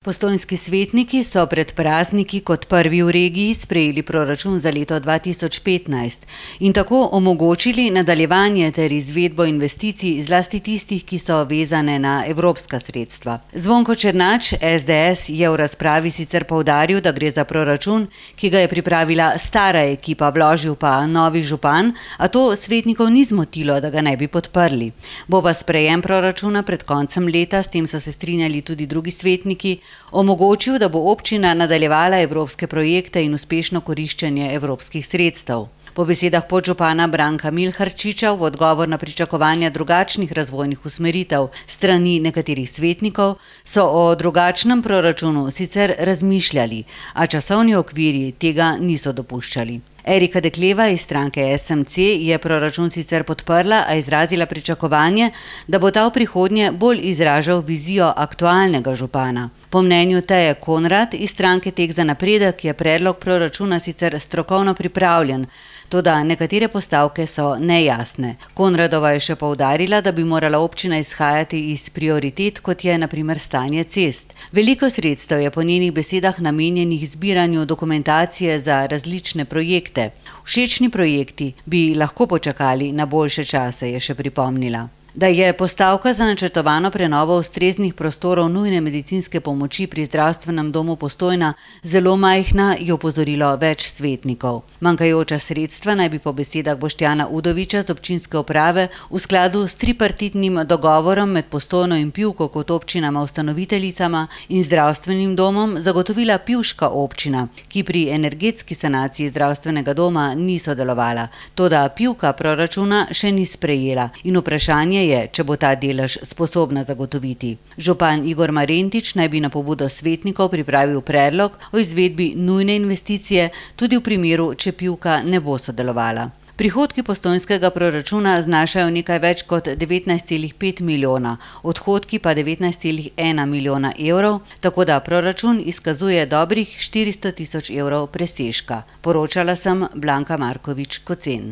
Postojnski svetniki so pred prazniki kot prvi v regiji sprejeli proračun za leto 2015 in tako omogočili nadaljevanje ter izvedbo investicij, zlasti tistih, ki so vezane na evropska sredstva. Zvonko Černač, SDS, je v razpravi sicer poudaril, da gre za proračun, ki ga je pripravila stara ekipa, vložil pa novi župan, a to svetnikov ni zmotilo, da ga ne bi podprli. Bo pa sprejem proračuna pred koncem leta, s tem so se strinjali tudi drugi svetniki, omogočil, da bo občina nadaljevala evropske projekte in uspešno koriščenje evropskih sredstev. Po besedah podžupana Branka Milharčiča v odgovor na pričakovanja drugačnih razvojnih usmeritev strani nekaterih svetnikov so o drugačnem proračunu sicer razmišljali, a časovni okvirji tega niso dopuščali. Erika Dekleva iz stranke SMC je proračun sicer podprla, a izrazila pričakovanje, da bo ta v prihodnje bolj izražal vizijo aktualnega župana. Po mnenju Teje Konrad iz stranke Tek za napredek je predlog proračuna sicer strokovno pripravljen, toda nekatere postavke so nejasne. Konradova je še poudarila, da bi morala občina izhajati iz prioritet, kot je na primer stanje cest. Veliko sredstev je po njenih besedah namenjenih zbiranju dokumentacije za različne projekte. Všečni projekti bi lahko počakali na boljše čase, je še pripomnila. Da je postavka za načrtovano prenovo ustreznih prostorov nujne medicinske pomoči pri zdravstvenem domu Postojna zelo majhna, je opozorilo več svetnikov. Manjkajoča sredstva naj bi po besedah Boštjana Udoviča z občinske uprave v skladu s tripartitnim dogovorom med Postojno in Pivko kot občinama ustanoviteljicama in zdravstvenim domom zagotovila pivška občina, ki pri energetski sanaciji zdravstvenega doma ni sodelovala. Toda Pivka proračuna še ni sprejela in vprašanje je, če bo ta delež sposobna zagotoviti. Župan Igor Marentič naj bi na pobudo svetnikov pripravil predlog o izvedbi nujne investicije tudi v primeru, če Pivka ne bo sodelovala. Prihodki postojnskega proračuna znašajo nekaj več kot 19,5 milijona, odhodki pa 19,1 milijona evrov, tako da proračun izkazuje dobrih 400 tisoč evrov presežka. Poročala sem Blanka Markovič Kocen.